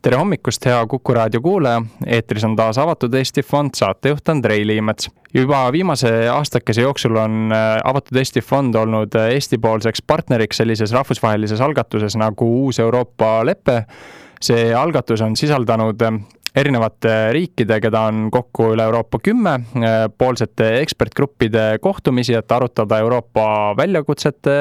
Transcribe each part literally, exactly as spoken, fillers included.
Tere hommikust, hea Kuku raadio kuulaja. Eetris on taas Avatud Eesti Fond, saatejuht Andrei Liimets. Juba viimase aastakese jooksul on Avatud Eesti Fond olnud Eesti-poolseks partneriks sellises rahvusvahelises algatuses nagu Uus Euroopa leppe. See algatus on sisaldanud erinevate riikide, keda on kokku üle Euroopa kümme, poolsete ekspertgruppide kohtumisi, et arutada Euroopa väljakutsete,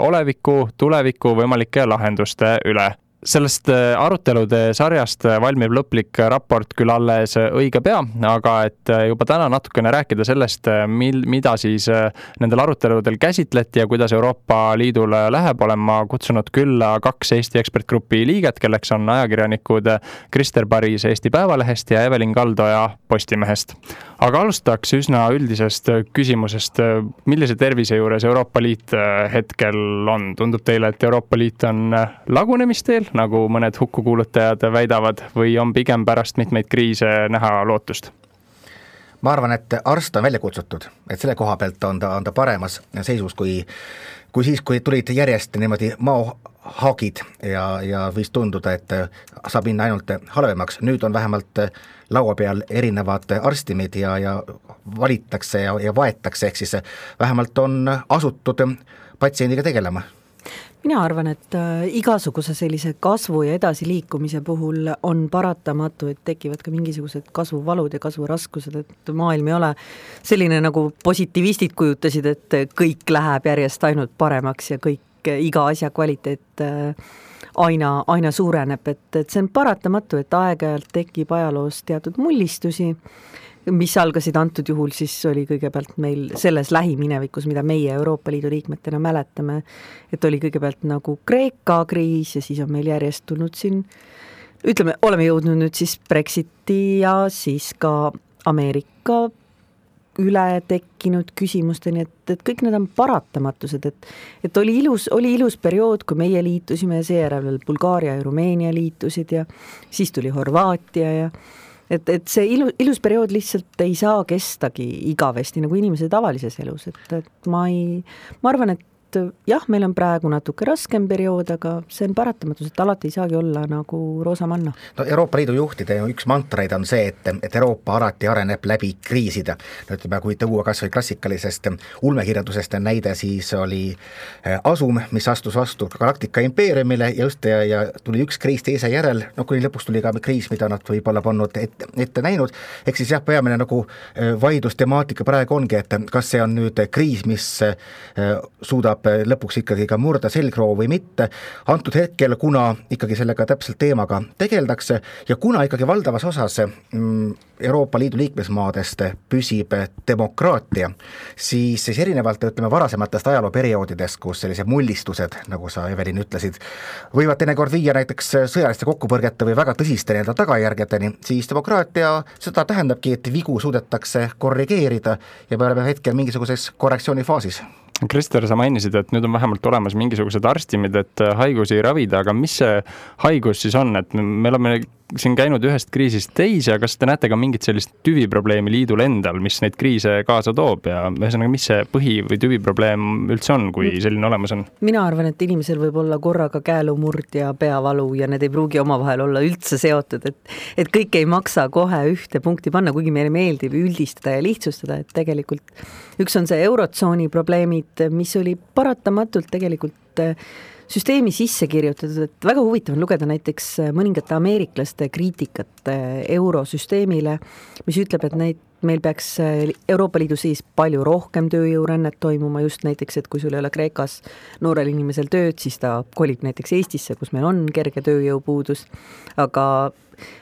oleviku, tuleviku võimalike lahenduste üle. Sellest arutelude sarjast valmib lõplik raport küll alles õige pea, aga et juba täna natukene rääkida sellest, mil, mida siis nendel aruteludel käsitleti ja kuidas Euroopa Liidul läheb, olen ma kutsunud külla kaks Eesti ekspertgrupi liiget, kelleks on ajakirjanikud Krister Paris Eesti Päevalehest ja Evelin Kaldoja Postimehest. Aga alustaks üsna üldisest küsimusest, millise tervise juures Euroopa Liit hetkel on? Tundub teile, et Euroopa Liit on lagunemisteel, nagu mõned hukkukuulutajad väidavad, või on pigem pärast mitmeid kriise näha lootust? Ma arvan, et arst on välja kutsutud, et selle koha pealt on ta, on ta paremas seisus kui, kui siis, kui tulid järjest niimoodi maohaagid ja, ja võis tunduda, et saab minna ainult halvemaks. Nüüd on vähemalt laua peal erinevad arstimid ja, ja valittakse ja, ja vaetakse, ehk siis vähemalt on asutud patsiendiga tegelema. Mina arvan, et igasuguse sellise kasvu ja edasiliikumise puhul on paratamatu, et tekivad ka mingisugused kasvuvalud ja kasvuraskused, et maailm ei ole selline, nagu positiivistid kujutasid, et kõik läheb järjest ainult paremaks ja kõik, iga asja kvaliteet aina, aina suureneb, et, et see on paratamatu, et aeg-ajalt tekib ajaloos teatud mullistusi, mis algasid antud juhul, siis oli kõigepealt meil selles lähiminevikus, mida meie Euroopa Liidu liikmetena mäletame, et oli kõigepealt nagu Kreeka kriis ja siis on meil järjest tulnud siin, ütleme, oleme jõudnud nüüd siis Brexiti ja siis ka Ameerika üle tekkinud küsimusteni, et, et kõik need on paratamatused, et, et oli ilus, oli ilus periood, kui meie liitusime ja seejärel Bulgaaria ja Rumeenia liitusid ja siis tuli Horvaatia ja et, et see ilu, ilus periood lihtsalt ei saa kestagi igavesti nagu inimese tavalises elus, et, et ma ei, ma arvan, et jah, meil on praegu natuke raskem periood, aga see on paratamatus, et alati ei saagi olla nagu roosamanna. No Euroopa Liidu juhtide üks mantraid on see, et, et Euroopa alati areneb läbi kriisida. No, ütleme, kui tõua kas või klassikalisest ulmekirjandusest näide, siis oli Asum, mis astus vastu Galaktika impeeriumile ja just ja, ja tuli üks kriis teise järel, no kuni lõpuks tuli ka kriis, mida nad võib-olla polnud ette, ette näinud. Ehk siis jah, peamine nagu vaidlustemaatika praegu ongi, et kas see on nüüd kriis, mis suudab lõpuks ikkagi ka murda selgroo või mitte. Antud hetkel, kuna ikkagi sellega täpselt teemaga tegeldakse ja kuna ikkagi valdavas osas Euroopa Liidu liikmesmaadest püsib demokraatia, siis, siis erinevalt ütleme varasematest ajalooperioodidest, kus sellised mullistused, nagu sa Evelin ütlesid, võivad teinekord viia näiteks sõjaliste kokkupõrgete või väga tõsiste nii-öelda tagajärgedeni, siis demokraatia seda tähendabki, et vigu suudetakse korrigeerida ja me oleme hetkel mingisuguses korrektsioonifaasis. Krister, sa mainisid, et nüüd on vähemalt olemas mingisugused arstimid, et haigusi ravida, aga mis see haigus siis on? Et me oleme siin käinud ühest kriisist teise, kas te näete ka mingit sellist tüviprobleemi liidul endal, mis neid kriise kaasa toob ja ühesõnaga, mis see põhi- või tüviprobleem üldse on, kui selline olemas on? Mina arvan, et inimesel võib olla korraga käelumurd ja peavalu ja need ei pruugi omavahel olla üldse seotud, et, et kõik ei maksa kohe ühte punkti panna, kuigi meile meeldib üldistada ja lihtsustada, et tegelikult üks on see eurotsooni probleemid, mis oli paratamatult tegelikult süsteemi sisse kirjutatud, et väga huvitav on lugeda näiteks mõningate ameeriklaste kriitikat eurosüsteemile, mis ütleb, et neid, meil peaks Euroopa Liidu siis palju rohkem tööjõurännet toimuma, just näiteks, et kui sul ei ole Kreekas noorel inimesel tööd, siis ta kolib näiteks Eestisse, kus meil on kerge tööjõupuudus, aga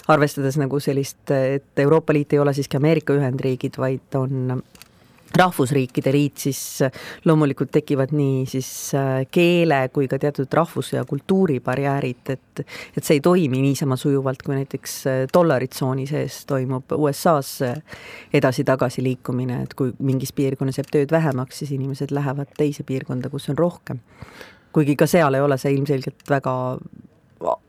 arvestades nagu sellist, et Euroopa Liit ei ole siiski Ameerika Ühendriigid, vaid on rahvusriikide liit, siis loomulikult tekivad nii siis keele kui ka teatud rahvus- ja kultuuribarjäärid, et, et see ei toimi niisama sujuvalt, kui näiteks dollaritsooni sees toimub U S A-s edasi-tagasi liikumine, et kui mingis piirkonnas jääb tööd vähemaks, siis inimesed lähevad teise piirkonda, kus on rohkem. Kuigi ka seal ei ole see ilmselgelt väga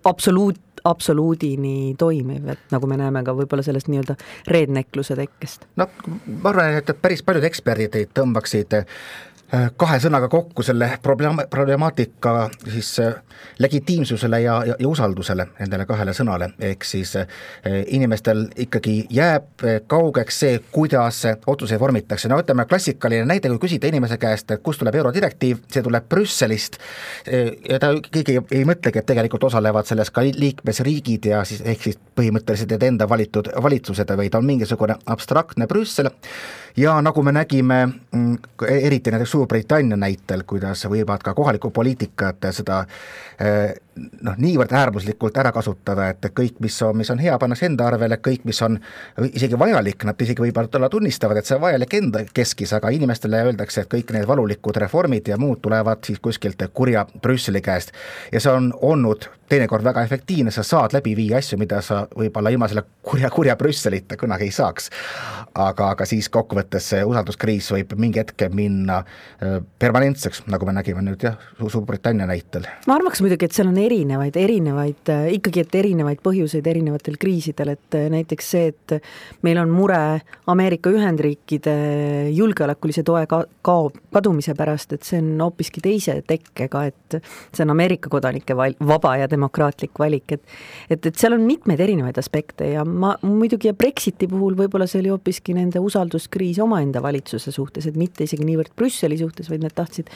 absoluut, absoluudini toimiv, et nagu me näeme ka võib-olla sellest nii-öelda reednekluse tekkest. No ma arvan, et päris paljud eksperdid tõmbaksid kahe sõnaga kokku selle probleem, problemaatika siis legitiimsusele ja, ja, ja usaldusele nendele kahele sõnale, ehk siis inimestel ikkagi jääb kaugeks see, kuidas otsuseid vormitakse. No ütleme, klassikaline näide, kui küsida inimese käest, et kust tuleb eurodirektiiv, see tuleb Brüsselist ja ta keegi ei mõtlegi, et tegelikult osalevad selles ka liikmesriigid ja siis ehk siis põhimõtteliselt need enda valitud valitsused, vaid on mingisugune abstraktne Brüssel ja nagu me nägime eriti näiteks Suurbritannia näitel, kuidas võivad ka kohaliku poliitikat seda noh, niivõrd äärmuslikult ära kasutada, et kõik, mis on, mis on hea, pannakse enda arvele, kõik, mis on isegi vajalik, nad isegi võib-olla tunnistavad, et see on vajalik enda keskis, aga inimestele öeldakse, et kõik need valulikud reformid ja muud tulevad siis kuskilt kurja Brüsseli käest ja see on olnud teinekord väga efektiivne, sa saad läbi viia asju, mida sa võib-olla ilma selle kurja, kurja Brüsselita kunagi ei saaks. Aga, aga siis kokkuvõttes see usalduskriis võib mingi hetke minna permanentseks, nagu me nägime nüüd jah, Suurbritannia näitel. Ma arvaks muidugi, et seal on erinevaid, erinevaid, ikkagi et erinevaid põhjuseid erinevatel kriisidel, et näiteks see, et meil on mure Ameerika Ühendriikide julgeolekulise toe ka, kao, kadumise pärast, et see on hoopiski teise tekkega, et see on Ameerika kodanike val, vaba ja demokraatlik valik, et, et, et seal on mitmeid erinevaid aspekte ja ma muidugi ja Brexiti puhul võib-olla see oli hoopiski nende usalduskriis omaenda valitsuse suhtes, et mitte isegi niivõrd Brüsseli suhtes, vaid need tahtsid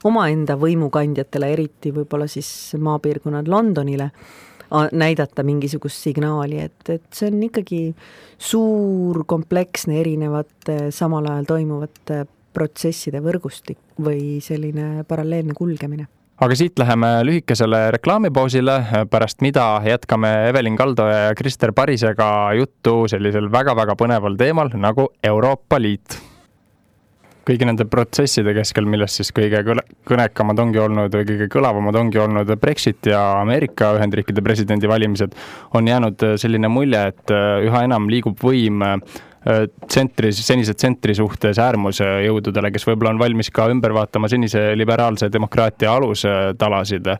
omaenda võimukandjatele, eriti võib-olla siis maapiirkonnad Londonile näidata mingisugust signaali, et, et see on ikkagi suur, kompleksne, erinevate samal ajal toimuvate protsesside võrgustik või selline paralleelne kulgemine. Aga siit läheme lühikesele reklaamipausile, pärast mida jätkame Evelin Kaldoja ja Krister Parisega juttu sellisel väga-väga põneval teemal nagu Euroopa Liit. Kõigi nende protsesside keskel, millest siis kõige kõnekamad ongi olnud või kõige kõlavamad ongi olnud Brexit ja Ameerika Ühendriikide presidendi valimised, on jäänud selline mulje, et üha enam liigub võim tsentri, senise tsentri suhtes äärmuse jõududele, kes võib-olla on valmis ka ümber vaatama senise liberaalse demokraatia alustalasid.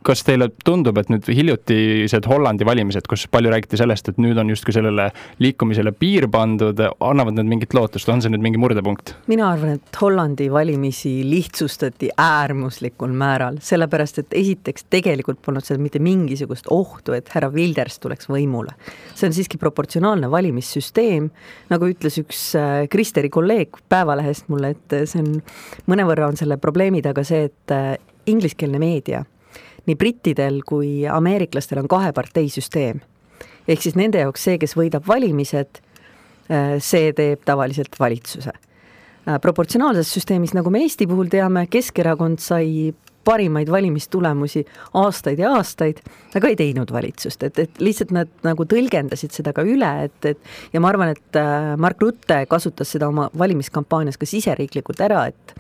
Kas teile tundub, et nüüd hiljutised Hollandi valimised, kus palju räägiti sellest, et nüüd on justkui sellele liikumisele piir pandud, annavad need mingit lootust, on see nüüd mingi murdepunkt? Mina arvan, et Hollandi valimisi lihtsustati äärmuslikul määral, sellepärast, et esiteks tegelikult polnud seal mitte mingisugust ohtu, et härra Wilders tuleks võimule. See on siiski proportsionaalne valimissüsteem, nagu ütles üks Kristeri kolleeg Päevalehest mulle, et see on, mõnevõrra on selle probleemi taga see, et ingliskeelne meedia nii brittidel kui ameeriklastel on kahe parteisüsteem. Ehk siis nende jaoks see, kes võidab valimised, see teeb tavaliselt valitsuse. Proportsionaalses süsteemis, nagu me Eesti puhul teame, Keskerakond sai parimaid valimistulemusi aastaid ja aastaid, aga ei teinud valitsust, et, et lihtsalt nad nagu tõlgendasid seda ka üle, et, et ja ma arvan, et Mark Rutte kasutas seda oma valimiskampaanias ka siseriiklikult ära, et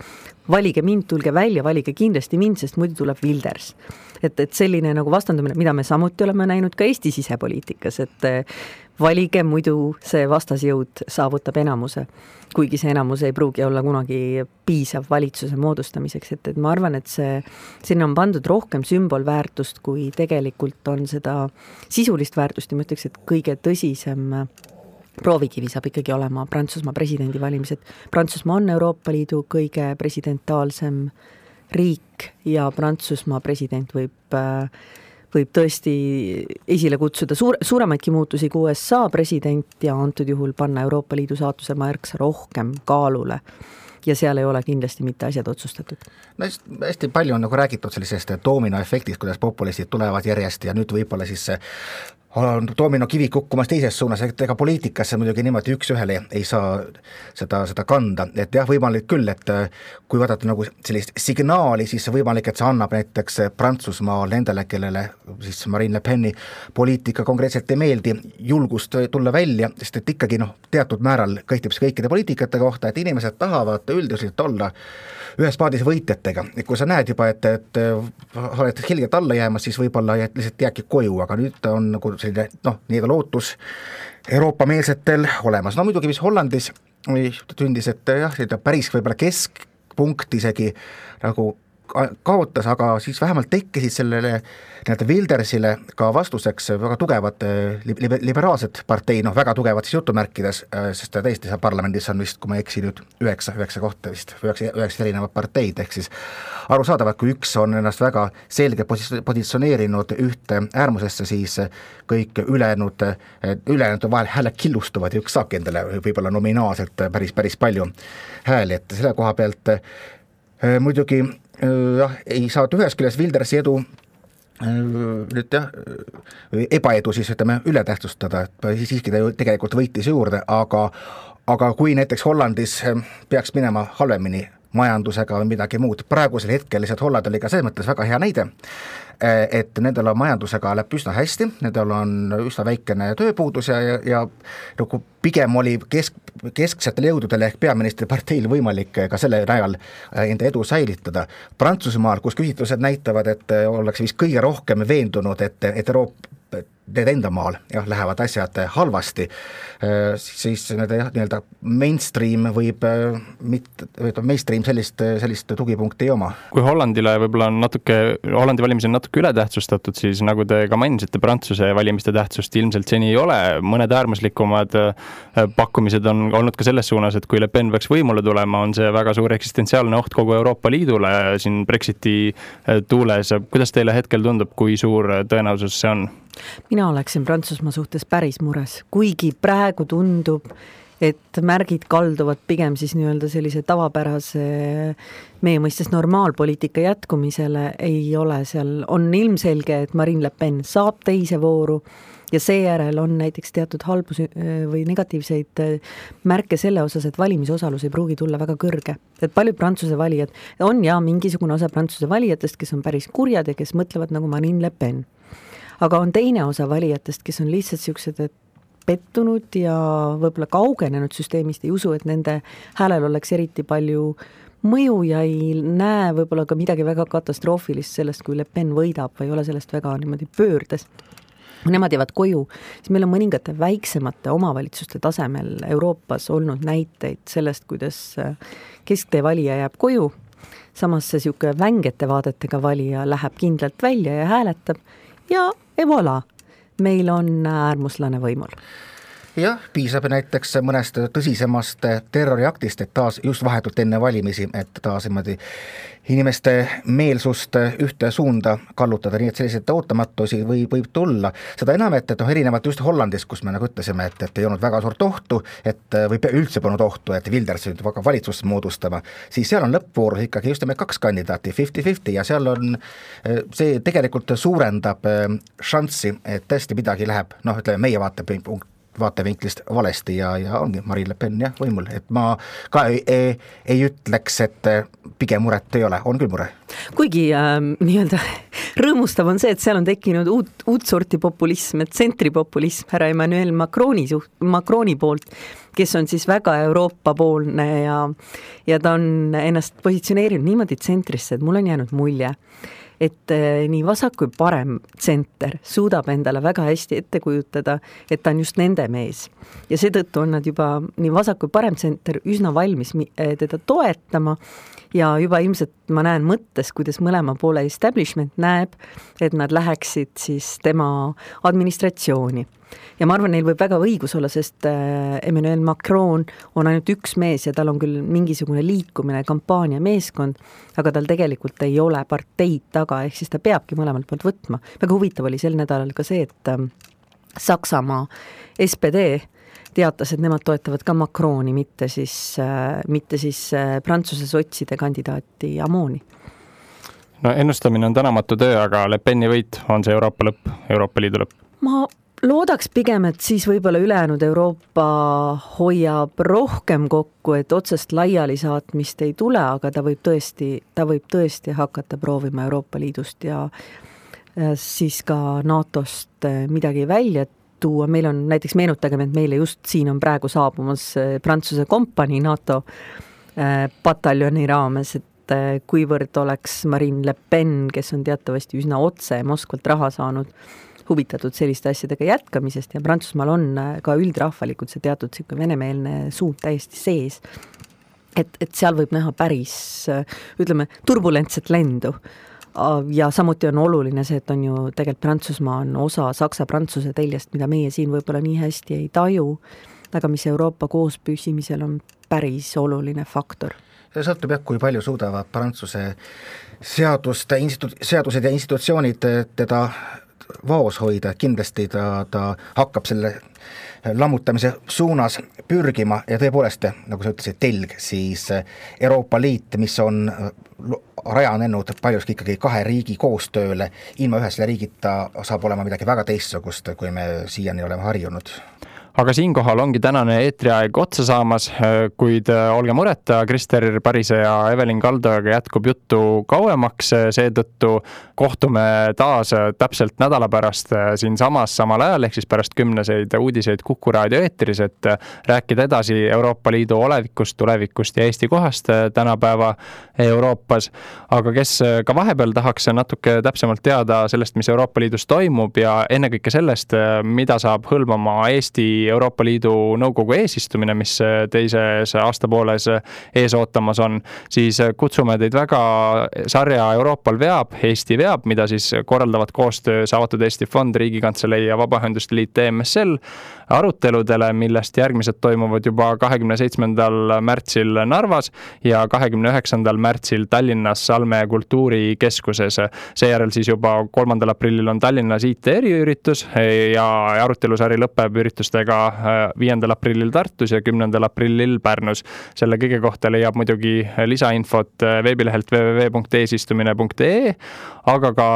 valige mind, tulge välja, valige kindlasti mind, sest muidu tuleb Wilders. Et, et selline nagu vastandumine, mida me samuti oleme näinud ka Eesti sisepoliitikas, et valige, muidu see vastasjõud saavutab enamuse, kuigi see enamus ei pruugi olla kunagi piisav valitsuse moodustamiseks, et, et ma arvan, et see, sinna on pandud rohkem sümbolväärtust, kui tegelikult on seda sisulist väärtust ja ma ütleks, et kõige tõsisem proovikivi saab ikkagi olema Prantsusmaa presidendi valimised. Prantsusmaa on Euroopa Liidu kõige presidentaalsem riik ja Prantsusmaa president võib, võib tõesti esile kutsuda suur, suuremaidki muutusi kui U S A president ja antud juhul panna Euroopa Liidu saatuse märksa rohkem kaalule. Ja seal ei ole kindlasti mitte asjad otsustatud. No hästi palju on nagu räägitud sellisest dominoefektist, kuidas populistid tulevad järjest ja nüüd võib-olla siis on domino kivi kukkumas teises suunas, et ega poliitikasse muidugi niimoodi üks ühele ei saa seda, seda kanda, et jah, võimalik küll, et kui vaadata nagu sellist signaali, siis võimalik, et see annab näiteks Prantsusmaal nendele, kellele siis Marine Le Peni poliitika konkreetselt ei meeldi, julgust tulla välja, sest et ikkagi noh, teatud määral kõhtib see kõikide poliitikate kohta, et inimesed tahavad üldiselt olla ühes paadis võitjatega, et kui sa näed juba, et, et oled hilgelt alla jäämas, siis võib-olla lihtsalt jääbki koju, aga nüüd on nagu selline, noh, nii-öelda lootus Euroopa-meelsetel olemas. No muidugi, mis Hollandis tündis, et jah, päris võib-olla keskpunkt isegi nagu kaotas, aga siis vähemalt tekkisid sellele nii-öelda Wildersile ka vastuseks väga tugevad liber, liberaalsed partei, noh väga tugevad siis jutumärkides, sest ta tõesti seal parlamendis on vist, kui ma ei eksi nüüd, üheksa, üheksa kohta vist, üheksa, üheksa erinevat parteid, ehk siis arusaadavalt, kui üks on ennast väga selge positsioneerinud ühte äärmusesse, siis kõik ülejäänud, ülejäänud vahel hääled killustuvad ja üks saabki endale võib-olla nominaalselt päris, päris palju hääli, et selle koha pealt äh, muidugi jah, ei saa ühes küljes Wildersi edu nüüd jah, ebaedu siis ütleme üle tähtsustada, et siiski ta ju tegelikult võitis juurde, aga aga kui näiteks Hollandis peaks minema halvemini majandusega või midagi muud, praegusel hetkel lihtsalt Holland oli ka selles mõttes väga hea näide, et nendel on majandusega läheb üsna hästi, nendel on üsna väikene tööpuudus ja, ja, ja nagu pigem oli kesk, kesksetel jõududel ehk peaministri parteil võimalik ka selle najal enda edu säilitada. Prantsusmaal, kus küsitlused näitavad, et ollakse vist kõige rohkem veendunud, et, et Euroopa need enda maal jah, lähevad asjad halvasti, siis need jah, nii-öelda mainstream võib mitte, mainstream sellist, sellist tugipunkti ei oma. Kui Hollandile võib-olla on natuke, Hollandi valimisi on natuke ületähtsustatud, siis nagu te ka mainisite, Prantsuse valimiste tähtsust ilmselt seni ei ole, mõned äärmuslikumad pakkumised on olnud ka selles suunas, et kui Le Pen peaks võimule tulema, on see väga suur eksistentsiaalne oht kogu Euroopa Liidule siin Brexiti tuules. Kuidas teile hetkel tundub, kui suur tõenäosus see on? Mina oleksin Prantsusmaa suhtes päris mures, kuigi praegu tundub, et märgid kalduvad pigem siis nii-öelda sellise tavapärase meie mõistes normaalpoliitika jätkumisele, ei ole seal, on ilmselge, et Marine Le Pen saab teise vooru ja seejärel on näiteks teatud halbus või negatiivseid märke selle osas, et valimisosalus ei pruugi tulla väga kõrge. Et paljud Prantsuse valijad on ja mingisugune osa Prantsuse valijatest, kes on päris kurjad ja kes mõtlevad nagu Marine Le Pen. Aga on teine osa valijatest, kes on lihtsalt siuksed, et pettunud ja võib-olla kaugenenud süsteemist, ei usu, et nende häälel oleks eriti palju mõju ja ei näe võib-olla ka midagi väga katastroofilist sellest, kui Le Pen võidab või ei ole sellest väga niimoodi pöördes. Nemad jäävad koju, siis meil on mõningate väiksemate omavalitsuste tasemel Euroopas olnud näiteid sellest, kuidas kesktee valija jääb koju, samas see siuke vängete vaadetega valija läheb kindlalt välja ja hääletab ja et voilà, meil on äärmuslane võimul. Jah, piisab näiteks mõnest tõsisemast terroriaktist, et taas just vahetult enne valimisi, et taas inimeste meelsust ühte suunda kallutada, nii et selliseid ootamatusi võib, võib tulla. Seda enam, et, et noh, erinevalt just Hollandis, kus me nagu ütlesime, et, et ei olnud väga suurt ohtu, et või üldse polnud ohtu, et Wilders nüüd väga valitsust moodustama, siis seal on lõppvoorus ikkagi just me kaks kandidaati, viiskümmend viiskümmend ja seal on, see tegelikult suurendab šanssi, et tõesti midagi läheb, noh, ütleme meie vaatepunkt, vaatevinklist valesti ja, ja ongi Marine Le Pen jah, võimul, et ma ka ei, ei, ei ütleks, et pigem muret ei ole, on küll mure. Kuigi äh, nii-öelda rõõmustav on see, et seal on tekkinud uut, uut sorti populism, et tsentripopulism härra Emmanuel Macroni, suht, Macroni poolt, kes on siis väga Euroopa-poolne ja, ja ta on ennast positsioneerinud niimoodi tsentrisse, et mul on jäänud mulje, et nii vasak kui parem tsenter suudab endale väga hästi ette kujutada, et ta on just nende mees. Ja seetõttu on nad juba nii vasak kui parem tsenter üsna valmis teda toetama ja juba ilmselt ma näen mõttes, kuidas mõlema poole establishment näeb, et nad läheksid siis tema administratsiooni. Ja ma arvan, neil võib väga õigus olla, sest Emmanuel Macron on ainult üks mees ja tal on küll mingisugune liikumine, kampaania meeskond, aga tal tegelikult ei ole parteid taga, ehk siis ta peabki mõlemalt poolt võtma. Väga huvitav oli sel nädalal ka see, et Saksamaa S P D teatas, et nemad toetavad ka Macroni, mitte siis, mitte siis Prantsuse sotside kandidaati Amoni. No ennustamine on tänamatu töö, aga Le Peni võit on see Euroopa lõpp, Euroopa Liidu lõpp? Ma loodaks pigem, et siis võib-olla ülejäänud Euroopa hoiab rohkem kokku, et otsest laiali saatmist ei tule, aga ta võib tõesti, ta võib tõesti hakata proovima Euroopa Liidust ja siis ka NATOst midagi välja tuua. Meil on näiteks, meenutagem, et meile just siin on praegu saabumas Prantsuse kompanii NATO pataljoni raames, et kuivõrd oleks Marine Le Pen, kes on teatavasti üsna otse Moskvalt raha saanud, huvitatud selliste asjadega jätkamisest ja Prantsusmaal on ka üldrahvalikult see teatud venemeelne suund täiesti sees. et, et seal võib näha päris, ütleme, turbulentset lendu. Ja samuti on oluline see, et on ju tegelikult Prantsusmaa on osa Saksa-Prantsuse teljest, mida meie siin võib-olla nii hästi ei taju, aga mis Euroopa koos püsimisel on päris oluline faktor. See sõltub jah, kui palju suudavad Prantsuse seaduste, institu-, seadused ja institutsioonid teda vaos hoida, kindlasti ta, ta hakkab selle lammutamise suunas pürgima ja tõepoolest, nagu sa ütlesid, telg, siis Euroopa Liit, mis on rajanenud paljuski ikkagi kahe riigi koostööle, ilma ühe selle riigita saab olema midagi väga teistsugust, kui me siiani oleme harjunud. Aga siinkohal ongi tänane eetriaeg otsa saamas, kuid olge mureta, Krister Parise ja Evelin Kaldojaga jätkub juttu kauemaks, seetõttu kohtume taas täpselt nädala pärast siin samas samal ajal, ehk siis pärast kümneseid uudiseid Kuku raadio eetris, et rääkida edasi Euroopa Liidu olevikust, tulevikust ja Eesti kohast tänapäeva Euroopas. Aga kes ka vahepeal tahaks natuke täpsemalt teada sellest, mis Euroopa Liidus toimub ja ennekõike sellest, mida saab hõlmama Eesti Euroopa Liidu nõukogu eesistumine, mis teises aastapooles ees ootamas on, siis kutsume teid väga sarja Euroopal veab, Eesti veab, mida siis korraldavad koostöös Avatud Eesti Fond, Riigikantselei ja Vabaühenduste Liit E M S L aruteludele, millest järgmised toimuvad juba kahekümne seitsmendal märtsil Narvas ja kahekümne üheksandal märtsil Tallinnas Salme kultuurikeskuses. Seejärel siis juba kolmandal aprillil on Tallinnas I T eriüritus ja arutelusari lõpeb üritustega viiendal aprillil Tartus ja kümnendal aprillil Pärnus. Selle kõige kohta leiab muidugi lisainfot veebilehelt w w w punkt eesistumine punkt e e, aga ka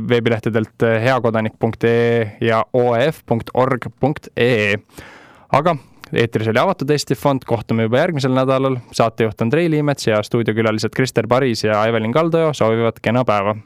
veebilehtedelt heakodanik punkt e e ja o e f punkt org punkt e e. Aga eetris oli Avatud Eesti Fond, kohtume juba järgmisel nädalal. Saatejuht Andrei Liimets ja stuudiokülalised Krister Paris ja Evelin Kaldoja soovivad kena päeva.